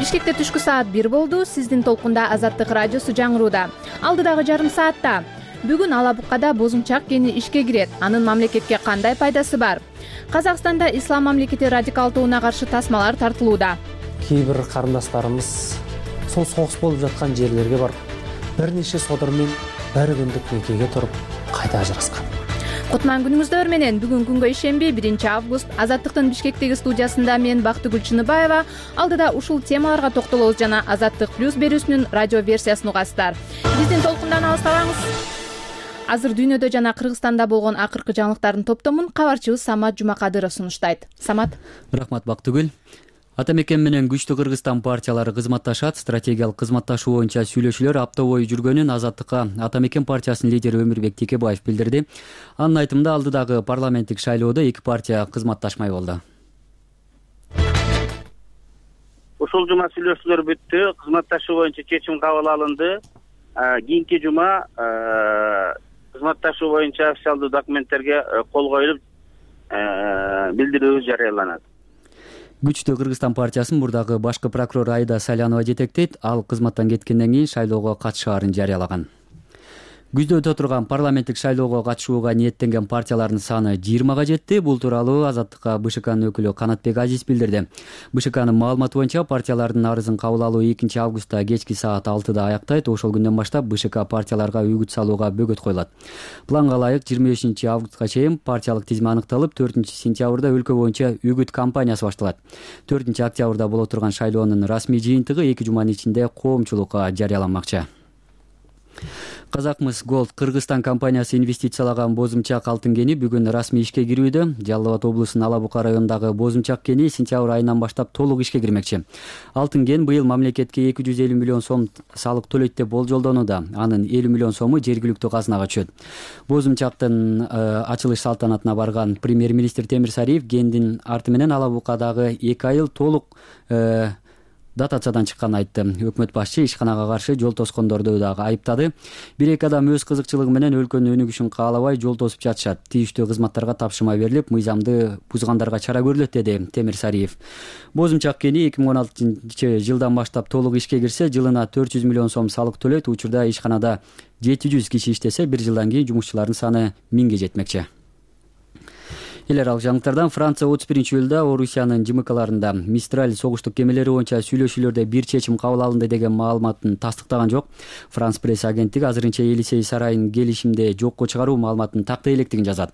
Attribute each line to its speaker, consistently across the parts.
Speaker 1: Бишкекте түшкү саат 1 болду. Сиздин толкунда Азаттык радиосу жаңырууда. Алдыдагы жарым саатта бүгүн Алабуккада бозумчак кени ишке кирет. Анын мамлекетке кандай пайдасы бар? Казакстанда ислам мамлекети радикалдууна каршы тасмалар тартылууда.
Speaker 2: Кээ бир карындашдарыбыз сол согуш болуп жаткан жерлерге барып, бир нече содурмен бир күндүк некеге туруп кайта ажыраскан.
Speaker 1: Кутман күнүңүздөр менен. Бүгүн күнгө ишемби 1 август. Азаттыктын Бишкектеги студиясында мен Бактыгүл Чыныбаева. Алдыда ушул темаларга токтолобуз жана Азаттык плюс берүүсүнүн радио версиясын угасыздар. Биздин толкундан алыстабаңыз. Азыр дүйнөдө жана Кыргызстанда болгон акыркы жаңылыктардын топтомун кабарчыбыз Самат Жумакадыров сунуштайт. Самат.
Speaker 3: Рахмат Бактыгүл. Ата мекен менен күчтүү Кыргызстан партиялары кызматташат. Стратегиялык кызматташуу боюнча сүйлөшүүлөр апта бою жүргөнүн Азаттыкка Ата мекен партиясынын лидери Өмүрбек Текебаев билдирди. Анын айтымында алдыдагы парламенттик шайлоодо эки партия кызматташмай болду.
Speaker 4: Ушул жума сүйлөшүүлөр бүттү. Кызматташуу боюнча чечим кабыл алынды. Кийинки жума кызматташуу боюнча официалдуу документтерге кол коюлуп, билдирүү жарыяланат.
Speaker 3: Күчтүү Кыргызстан партиясын мурдагы башкы прокурор Айда Салянова жетектейт. Ал кызматтан кеткенден кийин шайлоого катышаарын жарыялаган. Күздө турган парламенттик шайлоого катышууга ниеттенген партиялардын саны 20га жетти. Бул тууралуу Азаттыкка БШКнын өкүлү Канатбек Азиз билдирди. БШКнын маалыматы боюнча партиялардын арызын кабыл алуу 2 августта кечки саат 6да аяктайт. Ошол күндөн баштап БШК партияларга үгүт салууга бөгөт коюлат. Планга ылайык 25 августка чейин партиялык тизме аныкталып, 4 сентябрда өлкө боюнча үгүт кампаниясы башталат. 4 октябрда боло турган шайлоонун расмий жыйынтыгы 2 жуманын ичинде коомчулукка жарыяланмакчы. Казакмыс Голд Кыргызстан компаниясы инвестициялаган бозумчак алтын кени бүгүн расмий ишке кирүүдө. Жалал Абад облусунун Алабука районундагы бозумчак кени сентябрь айынан баштап толук ишке кирмекчи. Алтын кен быйыл мамлекетке 250 миллион сом салык төлөйт деп болжолдонууда. Анын 50 миллион сому жергиликтүү казынага түшөт. Бозумчактын ачылыш салтанатына барган премьер-министр Темир Сариев кендин арты менен Алабукадагы 2 айыл толук дотациядан чыкканын айтты. Өкмөт башчы ишканага каршы жол тоскондорду дагы айыптады. Бир-эки адам өз кызыкчылыгы менен өлкөнүн өнүгүшүн каалабай жол тосуп жатышат. Тийиштүү кызматтарга тапшырма берилип, мыйзамды бузгандарга чара көрүлөт, деди Темир Сариев. Бозумчак кени 2016-жылдан баштап толук ишке кирсе, жылына 400 миллион сом салык төлөйт. Учурда ишканада 700 киши иштесе, 1 жылдан кийин жумушчулардын саны 1000ге жетмекчи. Эл аралык жаңылыктардан Франция 31-июлда Орусиянын ЖМКларында Мистраль согуштук кемелери боюнча сүйлөшүүлөрдө бир чечим кабыл алынды деген маалыматын тастыктаган жок. Франс пресс агенттиги азырынча Елисей сарайын келишимде жокко чыгаруу маалыматын тактай электигин жазат.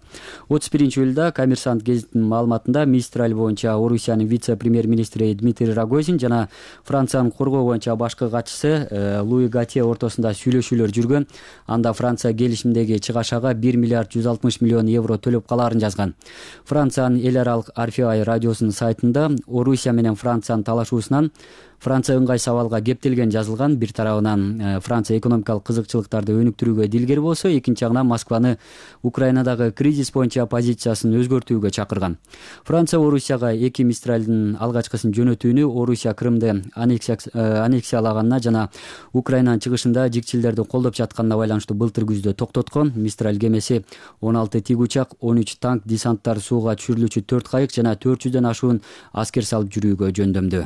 Speaker 3: 31-июлда Коммерсант гезитинин маалыматында Мистраль боюнча Орусиянын вице-премьер-министри Дмитрий Рогозин жана Франциянын коргоо боюнча башкы катчысы Луи Гатье ортосунда сүйлөшүүлөр жүргөн. Анда Франция келишимдеги чыгашага 1 миллиард 160 миллион евро төлөп калаарын жазган. Франциянын эл аралык RFI радиосунун сайтында Орусия менен Франциянын талашуусунан Франция ыңгай сабалга кептелген жазылган. Бир тарабынан Франция экономикалык кызыкчылыктарды өнүктүрүүгө дилгер болсо, экинчи жагынан Москваны Украинадагы кризис боюнча позициясын өзгөртүүгө чакырган. Франция Орусияга 2 Мистралдын алгачкысын жөнөтүүнү Орусия Крымды аннексиялаганына жана Украинанын чыгышында жикчилдерди колдоп жатканына байланыштуу былтыр күздө токтоткон. Мистраль кемеси 16 тиг учак, 13 танк, десанттар, сууга түшүрүлүүчү 4 кайык жана 400дөн ашуун аскер салып жүрүүгө жөндөмдүү.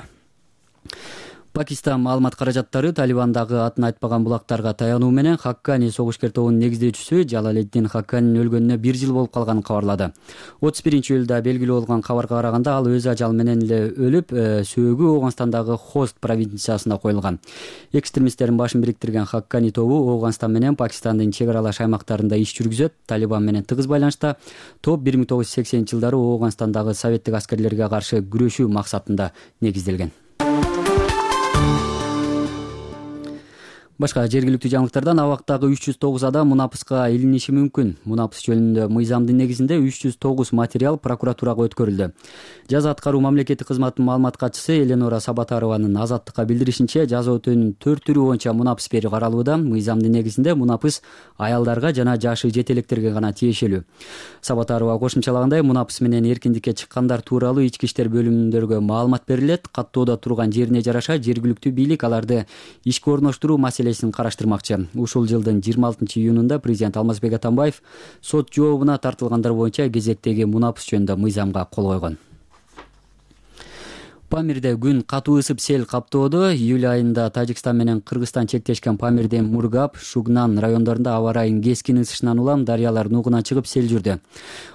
Speaker 3: Пакистан маалымат каражаттары Талибандагы атын айтпаган булактарга таянуу менен Хаккани согушкер тобунун негиздөөчүсү Жалаледдин Хакканинин өлгөнүнө 1 жыл болуп калганын кабарлады. 31-июлда белгилүү болгон кабарга караганда ал өз ажалы менен эле өлүп, сөөгү Ооганстандагы Хост провинциясында коюлган. Экстремисттердин башын бириктирген Хаккани тобу Ооганстан менен Пакистандын чек аралаш аймактарында иш жүргүзөт. Талибан менен тыгыз байланышта топ 1980-жылдары Ооганстандагы советтик аскерлерге каршы күрөшүү максатында негизделген. Башка жергиликтүү жаңылыктардан абактагы 309 адам мунапыска илиниши мүмкүн. Мунапыс жөнүндө мыйзамдын негизинде 309 материал прокуратурага өткөрүлдү. Жаза аткаруу мамлекеттик кызматынын маалымат катчысы Эленора Сабатарованын Азаттыкка билдиришинче, жаза өтөөнүн 4 түрү боюнча мунапыс берүү каралууда. Мыйзамдын негизинде мунапыс аялдарга жана жашы жете электерге гана тиешелүү. Сабатарова кошумчалагандай, мунапыс менен эркиндикке чыккандар тууралуу ички иштер бөлүмүндөргө маалымат берилет. Каттоодо турган жерине жараша жергиликтүү бийлик аларды ишке орноштуруу караштырмакчы. Ушул жылдын 26-июнунда президент Алмазбек Атамбаев сот жообуна тартылгандар боюнча кезектеги мунапыс жөнүндө мыйзамга кол койгон. Памирде күн катуу ысып сел каптоодо. Июль айында Тажикстан менен Кыргызстан чектешкен Памирден Мургап, Шугнан райондорунда аба айынын кескин ысышынан улам дарыялар нугуна чыгып сел жүрдү.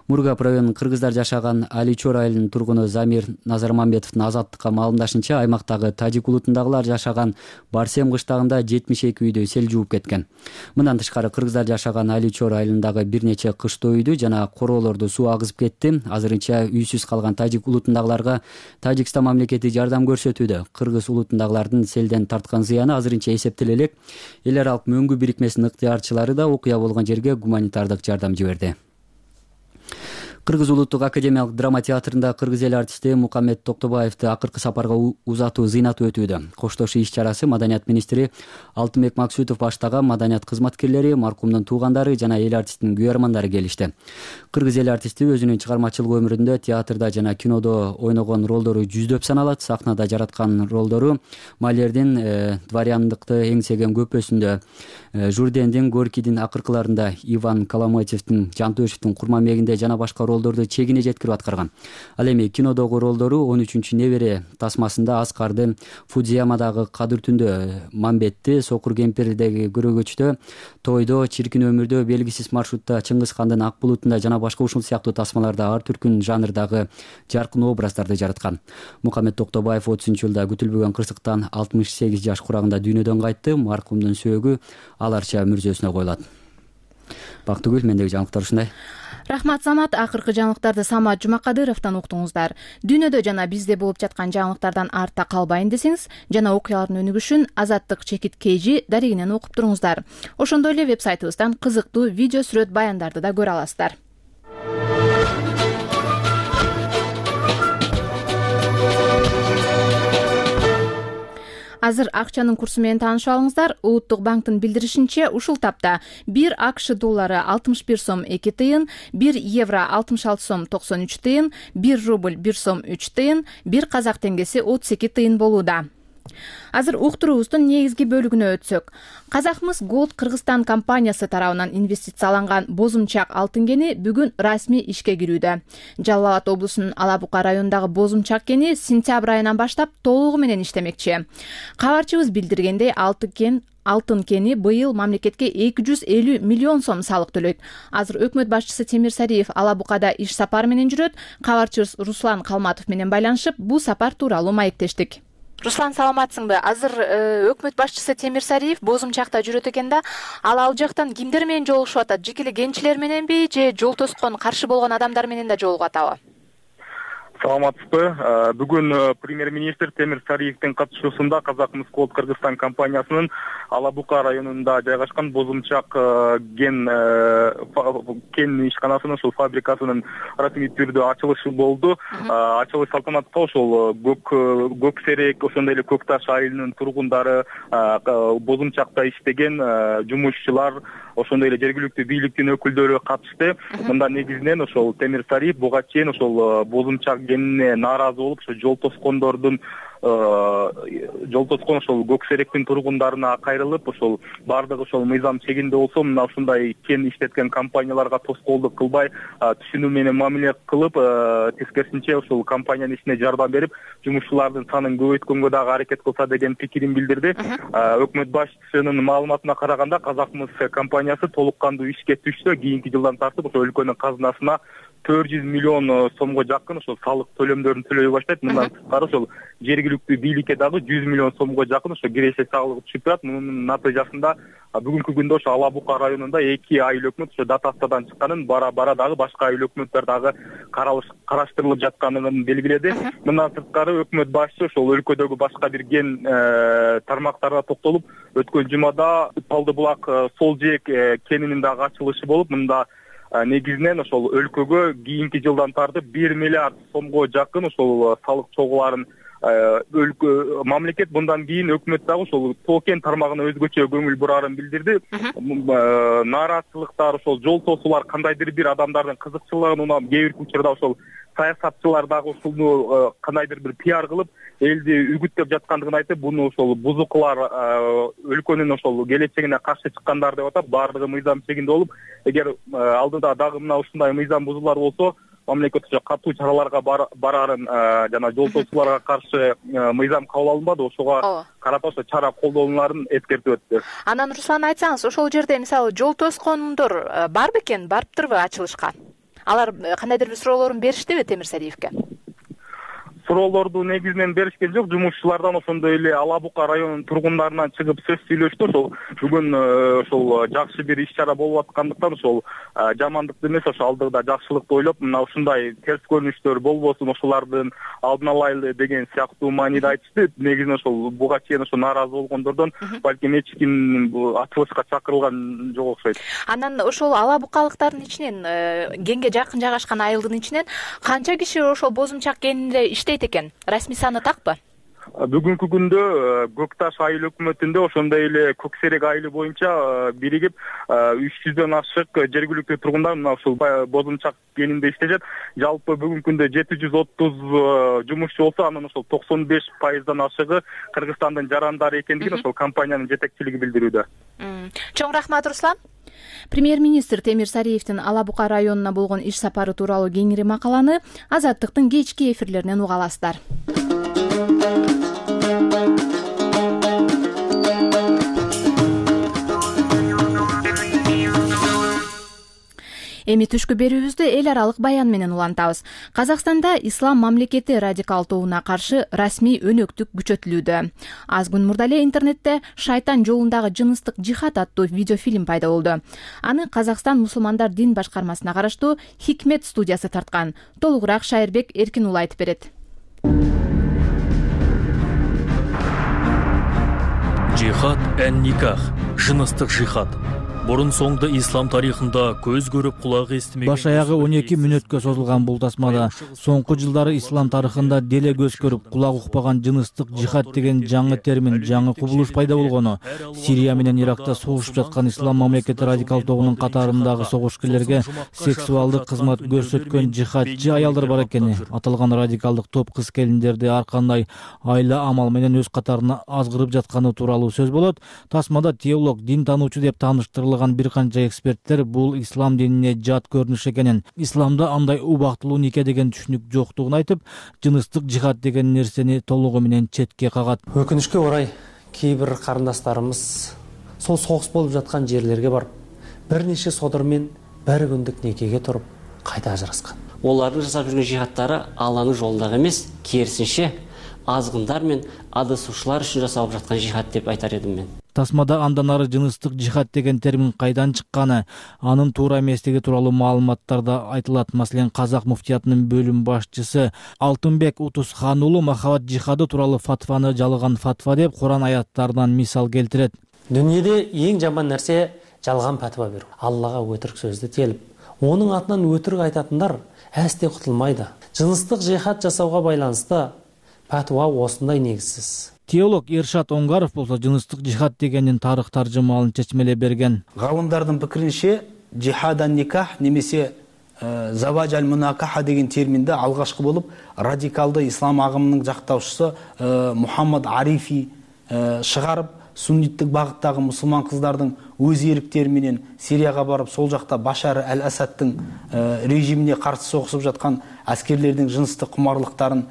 Speaker 3: Мургап районунун кыргыздар жашаган Аличор айылынын тургуну Замир Назармамбетовдун азаттыкка маалымдашынча, аймактагы тажик улутундагылар жашаган Барсем кыштагында 72 үйдү сел жууп кеткен. Мындан тышкары кыргыздар жашаган Аличор айылындагы бир нече кыштоо үйдү жана короолорду суу агызып кетти. Азырынча үйсүз калган тажик улутундагыларга Тажикстан мамлекети жардам көрсөтүүдө. Кыргыз улутундагылардын селден тарткан зыяны азырынча эсептеле элек. Эл аралык мөңгү бирикмесинин ыктыярчылары да окуя болгон жерге гуманитардык жардам жиберди. Кыргыз улуттук академиялык драма театрында кыргыз эл артисти Мукаммед Токтобаевди акыркы сапарга узатуу зыйнаты өтүүдө. Коштошуу иш-чарасы маданият министри Алтынбек Максутов баштаган маданият кызматкерлери, маркумдун туугандары жана эл артистинин күйөрмандары келишти. Кыргыз эл артисти өзүнүн чыгармачылык өмүрүндө театрда жана кинодо ойногон ролдору жүздөп саналат. Сахнада жараткан ролдору Малердин дворяндыкты эңсеген көпөсүндө, Журдендин Горкийдин акыркыларында, Иван Коломойцевдин Жантөшевдин Курма мегинде жана башка ролдорду чегине жеткирип аткарган. Ал эми кинодогу ролдору 13-небере тасмасында Аскарды, Фудзиямадагы Кадыр түндө Мамбетти, Сокур кемпирдеги Көрөгөчтө, Тойдо, Чиркин өмүрдө, Белгисиз маршрутта, Чыңгыз хандын Ак булутунда жана башка ушул сыяктуу тасмаларда ар түркүн жанрдагы жаркын образдарды жараткан. Мукаммед Токтобаев 30-жылда күтүлбөгөн кырсыктан 68 жаш курагында дүйнөдөн кайтты. Маркумдун сөөгү аларча мүрзөсүнө коюлат. Бактыгүл, мендеги жаңылыктар ушундай.
Speaker 1: Рахмат Самат, акыркы жаңылыктарды Самат Жумакадыровдон уктуңуздар. Дүйнөдө жана бизде болуп жаткан жаңылыктардан артта калбайын десеңиз жана окуялардын өнүгүшүн Азаттык чекит KG дарегинен окуп туруңуздар. Ошондой эле вебсайтыбыздан кызыктуу видео сүрөт баяндарды да көрө аласыздар. Азыр акчанын курсу менен таанышып алыңыздар. Улуттук банктын билдиришинче, ушул тапта 1 АКШ доллары 61 сом 2 тыйын, 1 евро 66 сом 93 тыйын, 1 рубль 1 сом 3 тыйын, 1 казак теңгеси 32 тыйын болууда. Азыр уктуруубуздун негизги бөлүгүнө өтсөк. Казахмыс Голд Кыргызстан компаниясы тарабынан инвестицияланган бозумчак алтын кени бүгүн расмий ишке кирүүдө. Жалал Абад облусунун Ала Бука районундагы бозумчак кени сентябрь айынан баштап толугу менен иштемекчи. Кабарчыбыз билдиргендей, алтын кени быйыл мамлекетке 250 миллион сом салык төлөйт. Азыр өкмөт башчысы Темир Сариев Ала Букада иш сапары менен жүрөт. Кабарчыбыз Руслан Калматов менен байланышып, бул сапар тууралуу маектештик. Руслан, саламатсыңбы? Азыр өкмөт башчысы Темир Сариев бозумчакта жүрөт экен да, ал жактан кимдер менен жолугушуп атат? Жеке эле кенчилер мененби же жол тоскон каршы болгон адамдар менен да жолугуп атабы?
Speaker 5: Саламатсызбы. Бүгүн премьер-министр Темир Сариевдин катышуусунда Казахмыс Голд Кыргызстан компаниясынын Ала Бука районунда жайгашкан бозумчак кен ишканасынын ушул фабрикасынын расмий түрдө ачылышы болду. Ачылыш салтанатка ошол көк серек, ошондой эле Көк Таш айылынын тургундары, бозумчакта иштеген жумушчулар, ошондой эле жергиликтүү бийликтин өкүлдөрү катышты. Мында негизинен ошол Темир Сариев буга чейин ошол бозумчак кенине нааразы болуп, ошо жол тоскон ошол көк серектин тургундарына кайрылып, ошол бардыгы ошол мыйзам чегинде болсо, мына ушундай кен иштеткен компанияларга тоскоолдук кылбай, түшүнүү менен мамиле кылып, тескерисинче ошол компаниянын ишине жардам берип, жумушчулардын санын көбөйткөнгө дагы аракет кылса деген пикирин билдирди. Өкмөт башчысынын маалыматына караганда, Казахмыс компаниясы толук кандуу ишке түшсө, кийинки жылдан тартып ошо өлкөнүн казынасына 400 миллион сомго жакын ошол салык төлөмдөрүн төлөй баштайт. Мындан тышкары ошол жергиликтүү бийликке дагы 100 миллион сомго жакын ошо киреше салыгы түшүп турат. Мунун натыйжасында бүгүнкү күндө ошо Ала Бука районунда 2 айыл өкмөт ошо дотациядан чыкканын, бара дагы башка айыл өкмөттөр дагы караштырылып жатканын белгиледи. Мындан сырткары өкмөт башчысы ошол өлкөдөгү башка бир кен тармактарына токтолуп, өткөн жумада Талды булак сол жээк кенинин дагы ачылышы болуп, мында негизинен ошол өлкөгө кийинки жылдан тартып 1 миллиард сомго жакын ошол салык чогуларын мамлекет мындан кийин өкмөт дагы ошол тоо кен тармагына өзгөчө көңүл бурарын билдирди. Нааразычылыктар, ошол жол тосуулар, кандайдыр бир адамдардын кызыкчылыгын унап, кээ бир учурда ошол саясатчылар дагы ушуну кандайдыр бир пиар кылып, элди үгүттөп жаткандыгын айтып, буну ошол бузукулар өлкөнүн ошол келечегине каршы чыккандар деп атап, баардыгы мыйзам чегинде болуп, эгер алдыда дагы мына ушундай мыйзам бузуулар болсо, мамлекет уже катуу чараларга барарын жана жол тосууларга каршы мыйзам кабыл алынбады, ошого карата ошо чара колдонуларын эскертип өттү.
Speaker 1: Анан Руслан, айтсаңыз, ошол жерде мисалы жол тоскондор бар бекен, барыптырбы ачылышка? Алар кандайдыр бир суроолорун бериштиби Темир Сариевке?
Speaker 5: Суроолорду негизинен беришкен жок, жумушчулардан ошондой эле Ала Бука районунун тургундарынан чыгып сөз сүйлөштү. Ошол бүгүн ошол жакшы бир иш чара болуп аткандыктан ошол жамандыкты эмес, ошо алдыда жакшылыкты ойлоп, мына ушундай терс көрүнүштөр болбосун, ошолардын алдын алайлы деген сыяктуу мааниде айтышты. Негизинен ошол буга чейин ошо нааразы болгондордон балким эч ким ачылышка чакырылган жок окшойт.
Speaker 1: Анан ошол Ала Букалыктардын ичинен, кенге жакын жайгашкан айылдын ичинен канча киши ошол Бозумчак кенинде иштейт экен? Расмий саны такпы?
Speaker 5: Бүгүнкү күндө Көк Таш айыл өкмөтүндө ошондой эле Көк Серек айылы боюнча биригип 300дөн ашык жергиликтүү тургундар мына ушул Бозумчак кенинде иштешет. Жалпы бүгүнкү күндө 730 жумушчу болсо, анын ошол 95%дан ашыгы Кыргызстандын жарандары экендигин ошол компаниянын жетекчилиги билдирүүдө.
Speaker 1: Чоң рахмат, Руслан. Премьер-министр Темир Сариевдин Ала Бука районуна болгон иш сапары тууралуу кеңири макаланы Азаттыктын кечки эфирлеринен уга аласыздар. Эми түшкү берүүбүздү эл аралык баян менен улантабыз. Казакстанда ислам мамлекети радикалдууна каршы расмий өнөктүк күчөтүлүүдө. Аз күн мурда эле интернетте шайтан жолундагы жыныстык жихад аттуу видеофильм пайда болду. Аны Казакстан мусулмандар дин башкармасына караштуу Хикмет студиясы тарткан. Толугураак Шайырбек Эркинұлы айтып берет.
Speaker 6: Жихад эн-никах, жыныстык жихад. Бурун соңду ислам тарыхында көз көрүп кулак эстемеген.
Speaker 7: Баш аягы 12 мүнөткө созулган бул тасмада соңку жылдары ислам тарыхында деле көз көрүп кулак укпаган жыныстык жихад деген жаңы термин, жаңы кубулуш пайда болгону. Сирия менен Иракта согушуп жаткан ислам мамлекети радикал тобунун катарындагы согушкерлерге сексуалдык кызмат көрсөткөн жихадчы аялдар бар экени. Аталган радикалдык топ кыз-келиндерди ар кандай айла амал менен өз катарына азгырып жатканы тууралуу сөз болот. Тасмада теолог, дин таануучу деп тааныштырылган бир канча эксперттер бул ислам динине жат көрүнүш экенин, исламда андай убактылуу нике деген түшүнүк жоктугун айтып, жыныстык жихад деген нерсени толугу менен четке кагат.
Speaker 2: Өкүнүчкө орай кейбир карындастарымыз сол согуш болуп жаткан жерлерге барып, бир нече содыр менен бир күндүк некеге туруп кайта ажыраскан.
Speaker 8: Олардын жасап жүргөн жихадтары Алланын жолундагы эмес, керисинче азгындар мен адысуучулар үчүн жасалып жаткан жихад деп айтар едим мен.
Speaker 7: Тасмада андан ары жыныстык жихад деген термин кайдан чыкканы, анын туура эместиги тууралуу маалыматтарда айтылат. Маселен, Казак муфтиятынын бөлүм башчысы Алтынбек Утусхан уулу махабат жихады тууралуу фатваны жалган фатва деп Куран аяттарынан мисал келтирет.
Speaker 2: Дүнүйөдө эң жаман нерсе жалган фатва берүү. Аллага өтірік сөздү телип, онун атынан өтірік айтатындар әсте кутулмайды. Жыныстык жихад жасауга байланыштуу фатва осындай негизсиз.
Speaker 7: Теолог Ершат Оңгаров болсо жыныстык жихад дегенин тарых таржымалын чечмелеп берген.
Speaker 9: Галымдардын пикиринче жихадан никах немесе заваж аль-мунакаха деген терминди алгашкы болуп радикалды ислам агымынын жактаушусу Мухаммад Арифи чыгарып, сунниттик багыттагы мусулман кыздардын өз эриктери менен Сирияга барып, сол жакта Башар аль-Асадтын режимине каршы согушуп жаткан аскерлердин жыныстык кумарлыктарын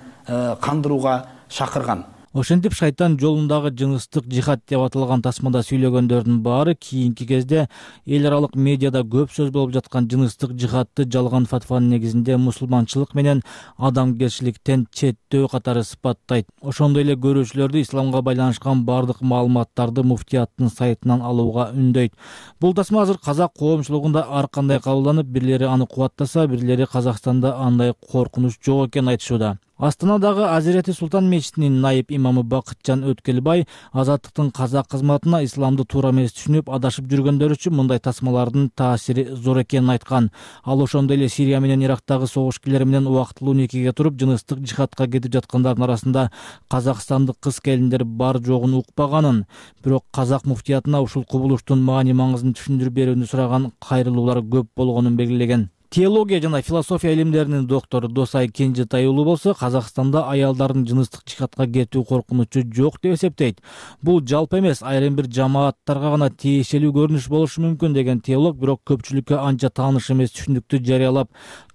Speaker 9: кандырууга чакырган.
Speaker 7: Ошентип шайтан жолундагы жыныстык жихад деп аталган тасмада сүйлөгөндөрдүн баары кийинки кезде эл аралык медиада көп сөз болуп жаткан жыныстык жихадты жалган фатванын негизинде мусулманчылык менен адамгерчиликтен четтөө катары сыпаттайт. Ошондой эле көрүүчүлөрдү исламга байланышкан бардык маалыматтарды муфтияттын сайтынан алууга үндөйт. Бул тасма азыр казак коомчулугунда ар кандай кабылданып, бирлери аны кубаттаса, бирлери Казакстанда андай коркунуч жок экенин айтышууда. Астанадагы Азирети Султан мечитинин найып имамы Бакытжан Өткелбай азаттыктын казак кызматына исламды туура эмес түшүнүп адашып жүргөндөр үчүн мындай тасмалардын таасири зор экенин айткан. Ал ошондой эле Сирия менен Ирактагы согушкерлер менен убактылуу никеге туруп жыныстык жихадка кетип жаткандардын арасында казакстандык кыз-келиндер бар жогун укпаганын, бирок казак муфтиятына ушул кубулуштун маани-маңызын түшүндүрүп берүүнү сураган кайрылуулар көп болгонун белгилеген. Теология жана философия илимдеринин доктору Досай Кенжетай уулу болсо Казакстанда аялдардын жыныстык жихадка кетүү коркунучу жок деп эсептейт. Бул жалпы эмес, айрым бир жамааттарга гана тиешелүү көрүнүш болушу мүмкүн деген теолог, бирок көпчүлүккө анча тааныш эмес түшүндүктү жарыялап,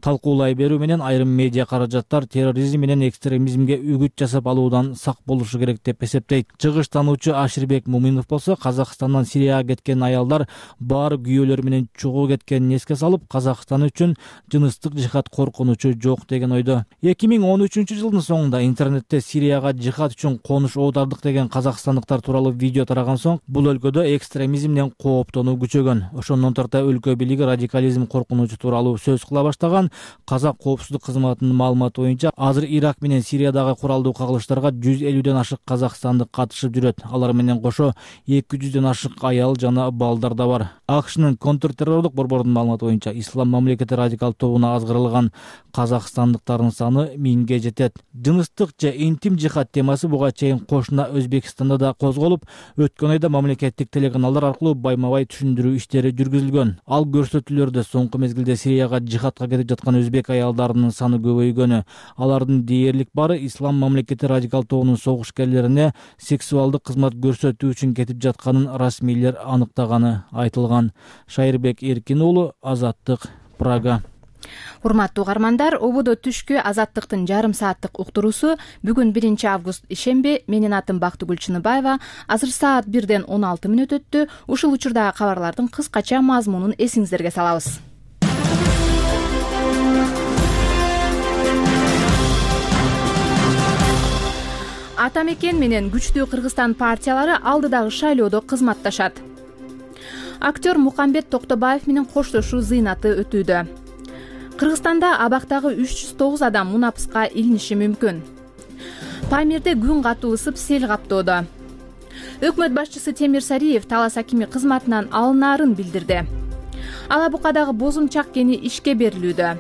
Speaker 7: талкуулай берүү менен айрым медиа каражаттар терроризм менен экстремизмге үгүт жасап алуудан сак болушу керек деп эсептейт. Чыгыштануучу Аширбек Муминов болсо Казакстандан Сирияга кеткен аялдар баары күйөөлөр менен чогуу кеткенин эске салып, Казакстан үчүн жыныстык жихад коркунучу жок деген ойдо. 2013-жылдын соңунда интернетте Сирияга жихад үчүн конуш оодардык деген казакстандыктар тууралуу видео тараган соң бул өлкөдө экстремизмден кооптонуу күчөгөн. Ошондон тарта өлкө бийлиги радикализм коркунучу тууралуу сөз кыла баштаган. Казак коопсуздук кызматынын маалыматы боюнча азыр Ирак менен Сириядагы куралдуу кагылыштарга 150ден ашык казакстандык катышып жүрөт. Алар менен кошо 200ден ашык аял жана балдар да бар. АКШнын контртеррорлук борборунун маалыматы боюнча Ислам мамлекети радикал тобуна азгырылган казакстандыктардын саны 1000ге жетет. Жыныстык же интим жихад темасы буга чейин кошуна Өзбекстанда да козголуп, өткөн айда мамлекеттик телеканалдар аркылуу байма-бай түшүндүрүү иштери жүргүзүлгөн. Ал көрсөтүүлөрдө соңку мезгилде Сирияга жихадка кетип жаткан өзбек аялдарынын саны көбөйгөнү, алардын дээрлик бары Ислам мамлекети радикал тобунун согушкерлерине сексуалдык кызмат көрсөтүү үчүн кетип жатканын расмийлер аныктаганы айтылган. Шайырбек Эркин уулу, Азаттык, Прага.
Speaker 1: Урматтуу угармандар, ободо түшкү Азаттыктын жарым сааттык уктуруусу бүгүн 1-август ишемби. Менин атым Бактыгүл Чыныбаева. Азыр саат 1-ден 16 мүнөт өттү. Ушул учурдагы кабарлардын кыскача мазмунун эсиңиздерге салабыз. Ата мекен менен күчтүү Кыргызстан партиялары алдыдагы шайлоодо кызматташат. Актер Мукамбет Токтобаев менен коштошуу зыйнаты өтүүдө. Кыргызстанда абактагы 309 адам мунапыска илиниши мүмкүн. Памирде күн катуу ысып сел каптоодо. Өкмөт башчысы Темир Сариев Талас акими кызматынан алынаарын билдирди. Ала Букадагы бозумчак кени ишке берилүүдө.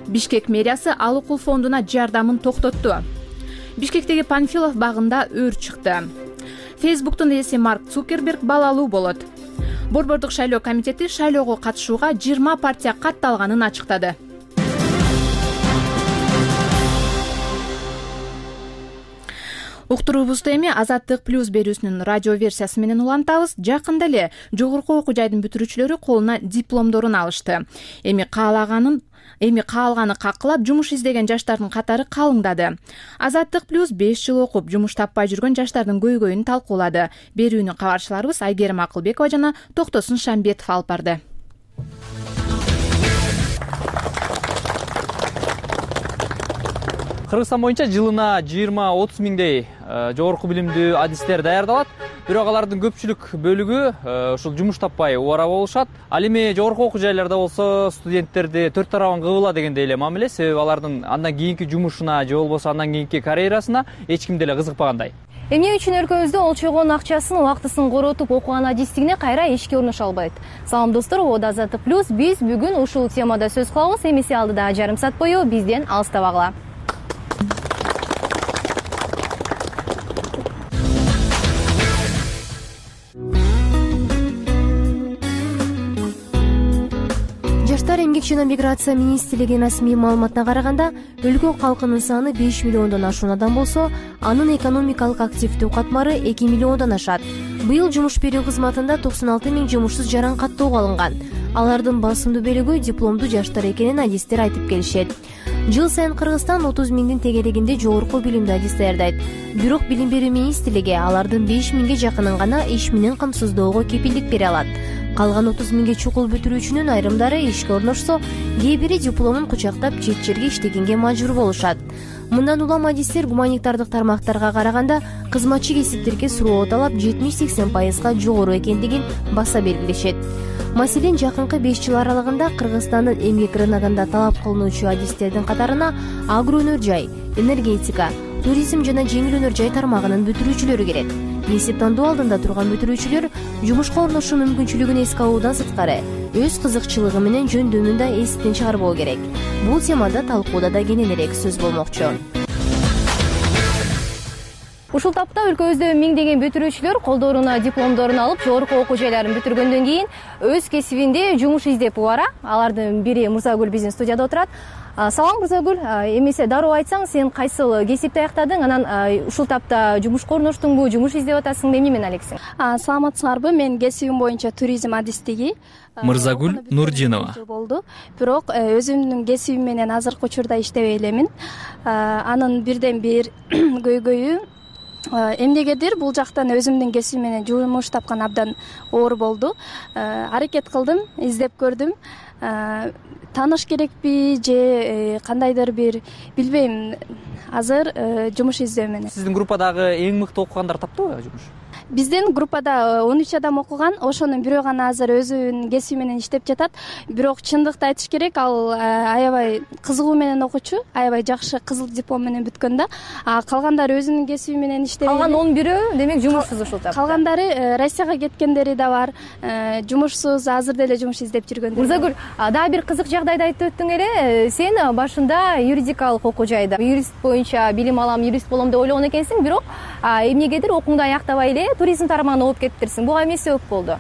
Speaker 1: Бишкек мэриясы Алыкул фондуна жардамын токтотту. Бишкектеги Панфилов багында өр чыкты. Фейсбуктун ээси Марк Цукерберг балалуу болот. Борбордук шайлоо комитети шайлоого катышууга 20 партия катталганын ачыктады. Уктуруубузду эми Азаттык плюс берүүсүнүн радио версиясы менен улантабыз. Жакында эле жогорку окуу жайдын бүтүрүүчүлөрү колуна дипломдорун алышты. Эми каалганы какылап жумуш издеген жаштардын катары калыңдады. Азаттык плюс 5 жыл окуп жумуш таппай жүргөн жаштардын көйгөйүн талкуулады. Берүүнү кабарчыларыбыз Айгерим Акылбекова жана Токтосун Шамбетов алып барды.
Speaker 10: Кыргызстан боюнча жылына 20-30 миңдей жогорку билимдүү адистер даярдалат. Бирок алардын көпчүлүк бөлүгү ушул жумуш таппай убара болушат. Ал эми жогорку окуу жайларда болсо студенттерди төрт тарабан кыбыла дегендей эле мамиле, себеби алардын андан кийинки жумушуна же болбосо андан кийинки карьерасына эч ким деле кызыкпагандай.
Speaker 11: Эмне үчүн өлкөбүздө олчойгон акчасын, убактысын коротуп окуган адистигине кайра ишке орношо албайт? Салам достор, ободо Азаттык плюс биз бүгүн ушул темада сөз кылабыз. Эмесе алдыда жарым саат бою бизден алыстабагыла. Жаштар эмгек жана миграция министрлигинин расмий маалыматына караганда, өлкө калкынын саны 5 миллиондон ашуунадан болсо, анын экономикалык активдүү катмары 2 миллиондон ашат. Быйыл жумуш берүү кызматында 96 миң жумушсуз жаран каттоого алынган. Алардын басымдуу бөлүгү дипломдуу жаштар экенин адистер айтып келишет. Жыл сайын Кыргызстан 30 миңдин тегерегинде жогорку билимдүү адис даярдайт. Бирок билим берүү министрлиги алардын 5 миңге жакынын гана иш менен камсыздоого кепилдик бере алат. Калган 30 миңге чукул бүтүрүүчүнүн айрымдары ишке орношсо, кээ бири дипломун кучактап чет жерге иштегенге мажбур болушат. Мындан улам адистер гуманитардык тармактарга караганда кызматчы кесиптерге суроо талап 70-80% жогору экендигин баса белгилешет. Маселен, жакынкы 5 жыл аралыгында Кыргызстандын эмгек рыногунда талап кылынуучу адистердин катарына агроөнөр жай, энергетика, туризм жана жеңил өнөр жай тармагынын бүтүрүүчүлөрү кирет. Эсеп тандоо алдында турган бүтүрүүчүлөр жумушка орношуу мүмкүнчүлүгүн эске алуудан сырткары өз кызыкчылыгы менен жөндөмүн да эстен чыгарбоо керек. Бул темада талкууда да кененирээк сөз болмокчу. Ушул тапта өлкөбүздө миңдеген бүтүрүүчүлөр колдоруна дипломдорун алып, жогорку окуу жайларын бүтүргөндөн кийин өз кесибинде жумуш издеп убара. Алардын бири Мырзагүл биздин студияда отурат.
Speaker 12: Салам Мырзагүл, эмесе дароо айтсаң, сен кайсыл кесипти аяктадың, анан ушул тапта жумушка орноштуңбу, жумуш издеп атасыңбы, эмне менен алексиң?
Speaker 13: Саламатсыңарбы? Мен кесибим боюнча туризм адистиги.
Speaker 10: Мырзагүл Нурдинова.
Speaker 13: Болду. Бирок өзүмдүн кесибим менен азыркы учурда иштебей элемин. Анын бирден бир көйгөйү эмнегедир бул жактан өзүмдүн кесибим менен жумуш тапкан абдан оор болду. Аракет кылдым, издеп көрдүм. Тааныш керекпи же кандайдыр бир билбейм, азыр жумуш издөө менен.
Speaker 10: Сиздин группадагы эң мыкты окугандар таптыбы жумуш?
Speaker 13: Биздин группада 13 адам окуган, ошонун бирөө гана азыр өзүнүн кесиби менен иштеп жатат. Бирок чындыкты айтыш керек, ал аябай кызыгуу менен окучу, аябай жакшы кызыл диплом менен бүткөн да. Калгандары өзүнүн кесиби менен иштеп.
Speaker 12: Калган 11-өө демек жумушсуз ушул тапта.
Speaker 13: Калгандары Россияга кеткендери да бар, жумушсуз, азыр деле жумуш издеп жүргөндөр.
Speaker 12: Мырзагүл, дагы бир кызык жагдайды айтып өттүң эле. Сен башында юридикалык окуу жайда юрист боюнча билим алам, юрист болом деп ойлогон экенсиң, бирок эмнегедир окууңду аяктабай эле туризм тармагына окуп кетиптирсиң. Буга эмне себеп болду?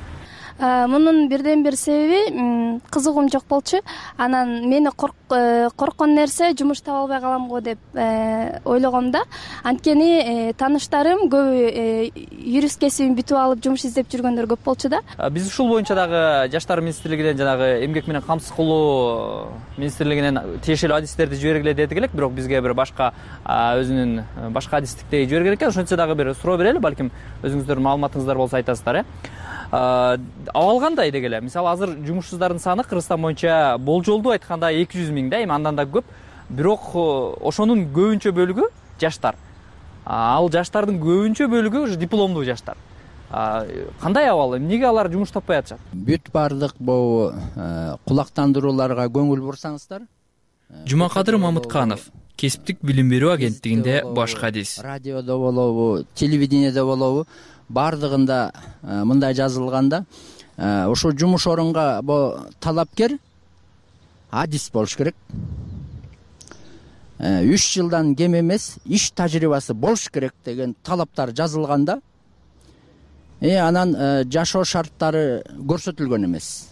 Speaker 13: Мунун бирден бир себеби кызыгуум жок болчу. Анан мени корккон нерсе жумуш таба албай калам го деп ойлогом да. Анткени тааныштарым көбү юрист кесибин бүтүп алып жумуш издеп жүргөндөр көп болчу да.
Speaker 10: Биз ушул боюнча дагы Жаштар министрлигинен жанагы эмгек менен камсыз кылуу министрлигинен тиешелүү адистерди жибергиле дедик элек, бирок бизге бир башка өзүнүн башка адистиктеги жиберген экен. Ошентсе дагы бир суроо берели, балким өзүңүздөрдүн маалыматыңыздар болсо айтасыздар. Абал кандай деги эле? Мисалы азыр жумушсуздардын саны Кыргызстан боюнча болжолдуу айтканда 200 000 да, эми андан да көп. Бирок ошонун көбүнчө бөлүгү жаштар. Ал жаштардын көбүнчө бөлүгү уже дипломдуу жаштар. Кандай абал? Эмнеге алар жумуш таппай атышат?
Speaker 14: Бүт баардык бул кулактандырууларга көңүл бурсаңыздар.
Speaker 10: Жумакадыр Мамытканов, кесиптик билим берүү агенттигинде баш кадис.
Speaker 14: Радиодо болобу, телевидениеде болобу, баардыгында мындай жазылганда, ошо жумуш орунга талапкер адис болуш керек. 3 жылдан кем эмес иш тажрыйбасы болуш керек деген талаптар жазылганда, анан жашоо шарттары көрсөтүлгөн эмес.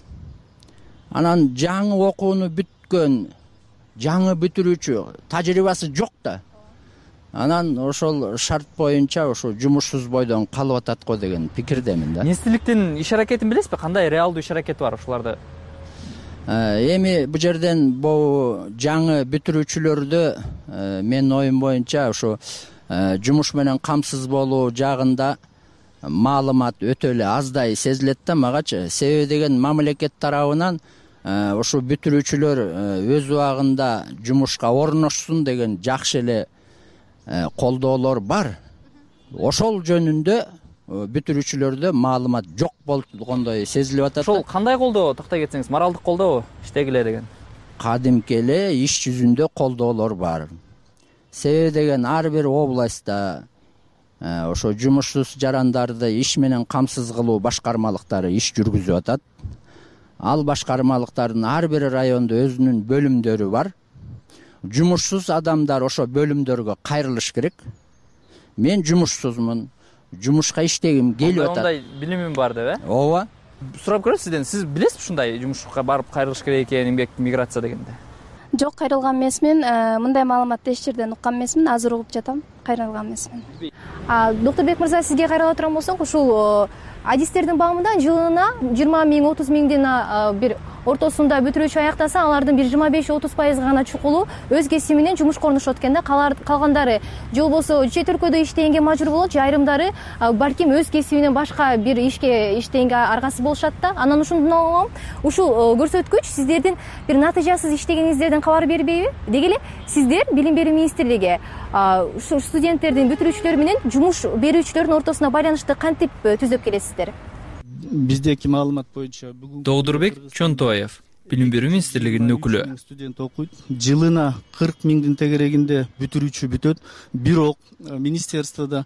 Speaker 14: Анан жаңы окууну бүткөн, жаңы бүтүрүүчү тажрыйбасы жок да. Анан ошол шарт боюнча ошо жумушсуз бойдон калып атат го деген пикирдемин да.
Speaker 10: Министрликтин иш аракетин билесизби? Кандай реалдуу иш аракети бар ошоларды?
Speaker 14: Эми бу жерден бул жаңы бүтүрүүчүлөрдү менин оюм боюнча ошо жумуш менен камсыз болуу жагында маалымат өтө эле аздай сезилет да магачы. Себеби деген мамлекет тарабынан ошо бүтүрүүчүлөр өз убагында жумушка орношсун деген жакшы эле колдоолор бар. Ошол жөнүндө бүтүрүүчүлөрдө маалымат жок болгондой сезилип атат.
Speaker 10: Ошол кандай колдоо, токтой кетсеңиз, моралдык колдообу иштегиле деген?
Speaker 14: Кадимки эле иш жүзүндө колдоолор бар. Себеби деген ар бир областта ошо жумушсуз жарандарды иш менен камсыз кылуу башкармалыктары иш жүргүзүп атат. Ал башкармалыктардын ар бир райондо өзүнүн бөлүмдөрү бар. Жумушсуз адамдар ошо бөлүмдөргө кайрылыш керек. Мен жумушсузмун, жумушка иштегим келип атат.
Speaker 10: Ондай билимим бар деп,
Speaker 14: Ооба.
Speaker 10: Сурап көрөм сизден, сиз билесизби ушундай жумушка барып кайрылыш керек экенин, эмгек миграция дегенде?
Speaker 13: Жок, кайрылган эмесмин. Мындай маалыматты эч жерден уккан эмесмин. Азыр угуп жатам. Кайрылган эмесмин.
Speaker 12: Доктурбек мырза, сизге кайрыла турган болсок, ушул адистердин баамында жылына 20 000, 30 000 бир ортосунда бүтүрүүчү аяктаса, алардын бир 25-30% гана чукулу өз кесиби менен жумушка орношот экен да. Калгандары же болбосо чет өлкөдө иштегенге мажбур болот, же айрымдары балким өз кесибинен башка бир ишке иштегенге аргасыз болушат да. Анан ушундан улам ушул көрсөткүч сиздердин бир натыйжасыз иштегениңиздерден кабар бербейби? Деги эле сиздер Билим берүү министрлиги ушу студенттердин, бүтүрүүчүлөр менен жумуш берүүчүлөрдүн ортосуна байланышты кантип түзөп келесиздер?
Speaker 15: Биздеки маалымат боюнча бүгүн
Speaker 10: Доодурбек Чонтоев, Билим берүү министрлигинин өкүлү.
Speaker 15: Студент окуйт. Жылына 40 000 тегерегинде бүтүрүүчү бүтөт. Бирок министерстводо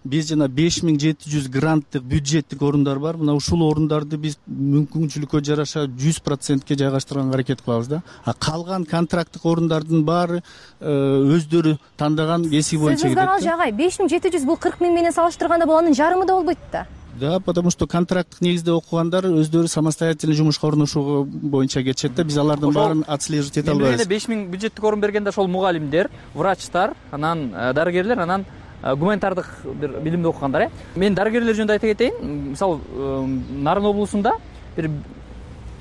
Speaker 15: биз жана 5700 гранттык бюджеттик орундар бар. Мына ушул орундарды биз мүмкүнчүлүккө жараша 100%ке жайгаштырганга аракет кылабыз да. Калган контракттык орундардын баары өздөрү тандаган кесиби боюнча кетет.
Speaker 12: Сөзүңүз жагай, 5700 бул 40 000 менен салыштырганда бул анын жарымы да болбойт да.
Speaker 15: Да, потому что контракттык негизде окугандар өздөрү самостоятельный жумушка орношуу боюнча кетишет да, биз алардын баарын отслеживать эте албайбыз.
Speaker 10: 5000 бюджеттик орун бергенде ошол мугалимдер, врачтар, анан дарыгерлер, анан гуманитардык бир билимди окугандар. Мен дарыгерлер жөнүндө айта кетейин. Мисалы, Нарын облусунда бир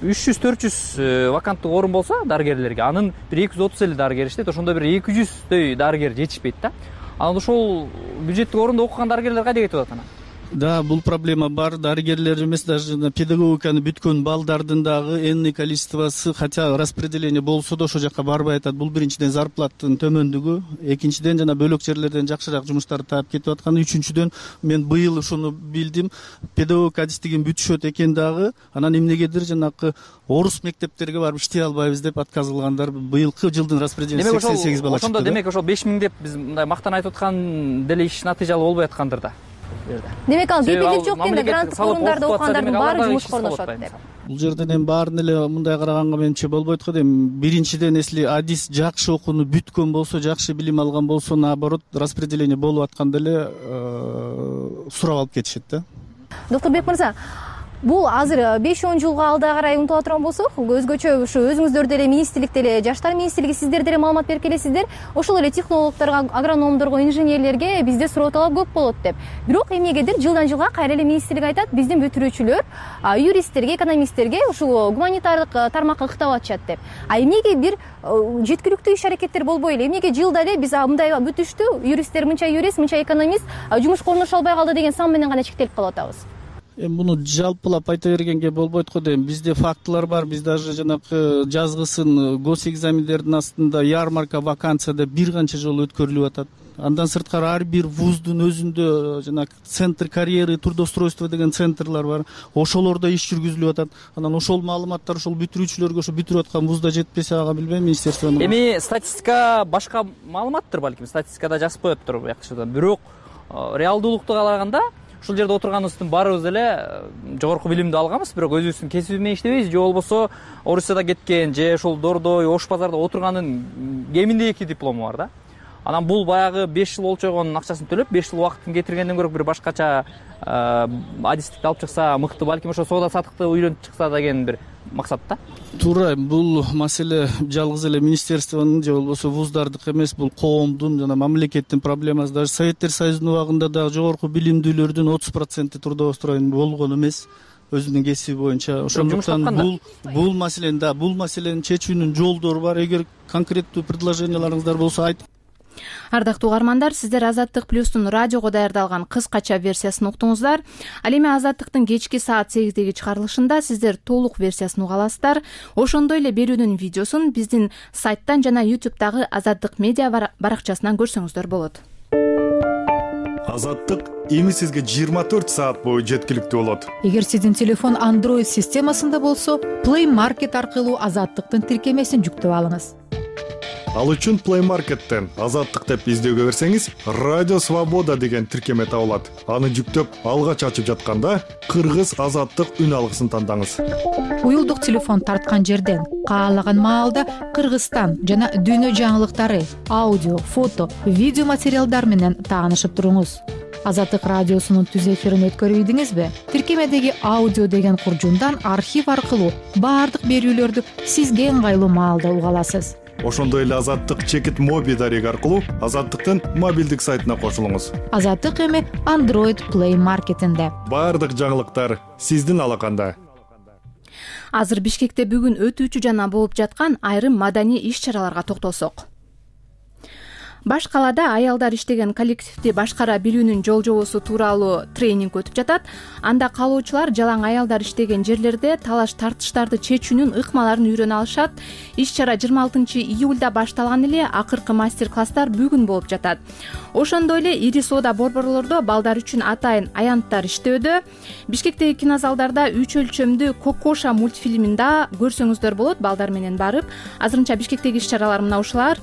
Speaker 10: 300-400 ваканттык орун болсо дарыгерлерге, анын бир 230 дарыгер иштейт, ошондо бир 200дөй дарыгер жетишпейт да. Анан ошол бюджеттик орунда окуган дарыгерлер кайда кетип атат анан?
Speaker 15: Да, бул проблема бар. Дарыгерлер эмес, даже педагогиканы бүткөн балдардын дагы энный количествосы, хотя распределение болсо да ошол жака барбай атат. Бул биринчиден зарплаттын төмөндүгү, экинчиден жана бөлөк жерлерден жакшыраак жумуштарды таап кетип атканы, үчүнчүдөн мен быйыл ушуну билдим, педагогика адистигин бүтүшөт экен дагы, анан эмнегедир жанакы орус мектептерге барып иштей албайбыз деп отказ кылгандар. Быйылкы жылдын распределениясы 88 бала чыкты.
Speaker 10: Ошондо демек ошол 5000 деп биз мындай мактан айтып аткан деле иш натыйжалуу болбой аткандыр да.
Speaker 12: Демек ал кепилдик жок экен да, гранттык орундарда окугандардын баары жумушка орношот деп.
Speaker 15: Бул жерден эми баарын эле мындай караганга менимче болбойт го дейм. Биринчиден, если адис жакшы окууну бүткөн болсо, жакшы билим алган болсо, наоборот, распределение болуп атканда эле сурап алып кетишет да.
Speaker 12: Доктор Бек мырза, бул азыр 5-10 жылга алда карай умтула турган болсок, өзгөчө ушу өзүңүздөр деле министрликте эле, жаштар министрлиги сиздер деле маалымат берип келесиздер, ошол эле технологдорго, агрономдорго, инженерлерге бизде суроо талап көп болот деп. Бирок эмнегедир жылдан жылга кайра эле министрлик айтат, биздин бүтүрүүчүлөр юристтерге, экономисттерге ушул гуманитардык тармакка ыктап атышат деп. Эмнеге бир жеткиликтүү иш-аракеттер болбой эле, эмнеге жылда эле биз мындай бүтүштү, юристтер мынча юрист, мынча экономист жумушка орношо албай калды деген сан менен гана чектелип калып атабыз?
Speaker 15: Муну жалпылап айта бергенге болбойт го дейм. Бизде фактылар бар. Биз даже жанакы жазгысын госэкзамендердин астында ярмарка вакансия деп бир канча жолу өткөрүлүп атат. Андан сырткары ар бир вуздун өзүндө жанакы центр карьеры, трудоустройство деген центрлар бар. Ошолордо иш жүргүзүлүп атат. Анан ошол маалыматтар ошол бүтүрүүчүлөргө, ошо бүтүрүп аткан вузда жетпесе, ага билбейм, министерствонун.
Speaker 10: Эми статистика башка маалыматтыр, балким статистикада жазып коёптур бuyакчадан. Бирок реалдуулукту караганда ушул жерде отурганыбыздын баарыбыз эле жогорку билимди алганбыз, бирок өзүбүздүн кесиби менен иштебейбиз, же болбосо Орусияда кеткен, же ошол Дордой, Ош базарда отурганын кеминде 2 диплому бар да. Анан бул баягы 5 жыл олчойгонун акчасын төлөп, 5 жыл убакытын кетиргенден көрө бир башкача адистикти алып чыкса мыкты, балким ошо соода сатыкты үйлөнүп чыкса деген бир максат да.
Speaker 15: Туура, бул маселе жалгыз эле министерствонун же болбосо вуздардык эмес, бул коомдун жана мамлекеттин проблемасы. Даже Советтер Союзунун убагында дагы жогорку билимдүүлөрдүн 30% трудоустроен болгон эмес өзүнүн кесиби боюнча. Ошондуктан бул маселени чечүүнүн жолдору бар. Эгер конкреттүү предложенияларыңыздар болсо айтып.
Speaker 1: Ардактуу угармандар, сиздер Азаттык плюстун радиого даярдалган кыскача версиясын уктуңуздар. Ал эми Азаттыктын кечки саат 8деги чыгарылышында сиздер толук версиясын уга аласыздар. Ошондой эле берүүнүн видеосун биздин сайттан жана YouTube'дагы Азаттык медиа баракчасынан көрсөңүздөр болот.
Speaker 16: Азаттык эми сизге 24 саат бою жеткиликтүү болот.
Speaker 17: Эгер сиздин телефон Android системасында болсо, Play Market аркылуу Азаттыктын тиркемесин жүктөп алыңыз.
Speaker 16: Ал үчүн Play Market'тен Азаттык деп издөөгө берсеңиз, Радио Свобода деген тиркеме табылат. Аны жүктөп, алгач ачып жатканда Кыргыз Азаттык үн алгысын тандаңыз.
Speaker 17: Уюлдук телефон тарткан жерден каалаган маалда Кыргызстан жана дүйнө жаңылыктары, аудио, фото, видео материалдар менен таанышып туруңуз. Азаттык радиосунун түз эфирин өткөрүп ийдиңизби? Тиркемедеги аудио деген куржундан архив аркылуу баардык берүүлөрдү сизге ыңгайлуу маалда уга аласыз.
Speaker 16: Ошондой эле Азаттык чекит моби дареги аркылуу Азаттыктын мобилдик сайтына кошулуңуз.
Speaker 17: Азаттык эми Android Play Market'инде.
Speaker 16: Баардык жаңылыктар сиздин алаканда.
Speaker 1: Азыр Бишкекте бүгүн өтүүчү жана болуп жаткан айрым маданий иш-чараларга токтолсок. Баш калаада аялдар иштеген коллективди башкара билүүнүн жол-жобосу тууралуу тренинг өтүп жатат. Анда каалоочулар жалаң аялдар иштеген жерлерде талаш тартыштарды чечүүнүн ыкмаларын үйрөнө алышат. Иш-чара 26-июлда башталган эле, акыркы мастер-класстар бүгүн болуп жатат. Ошондой эле ири соода борборлордо балдар үчүн атайын аянттар иштөөдө. Бишкектеги кинозалдарда 3 өлчөмдүү Кокоша мультфильмин да көрсөңүздөр болот балдар менен барып. Азырынча Бишкектеги иш-чаралар мына ушулар.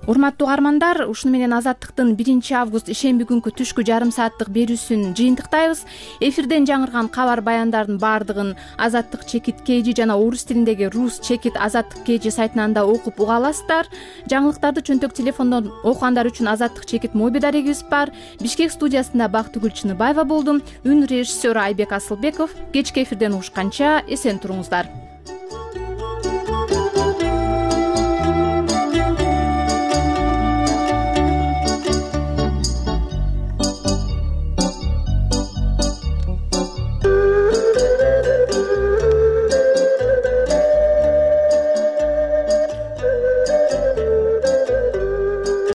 Speaker 1: урматтуу угармандар, ушуну менен Азаттыктын 1-август ишемби күнкү түшкү жарым сааттык берүүсүн жыйынтыктайбыз. Эфирден жаңырган кабар баяндардын баардыгын Азаттык чекит KG жана орус тилиндеги Rus чекит Азаттык KG сайтынан да окуп уга аласыздар. Жаңылыктарды чөнтөк телефондон окугандар үчүн Азаттык чекит моби дарегибиз бар. Бишкек студиясында Бактыгүл Чыныбаева болдум. Үн режиссеру Айбек Асылбеков. Кечки эфирден угушканча эсен туруңуздар.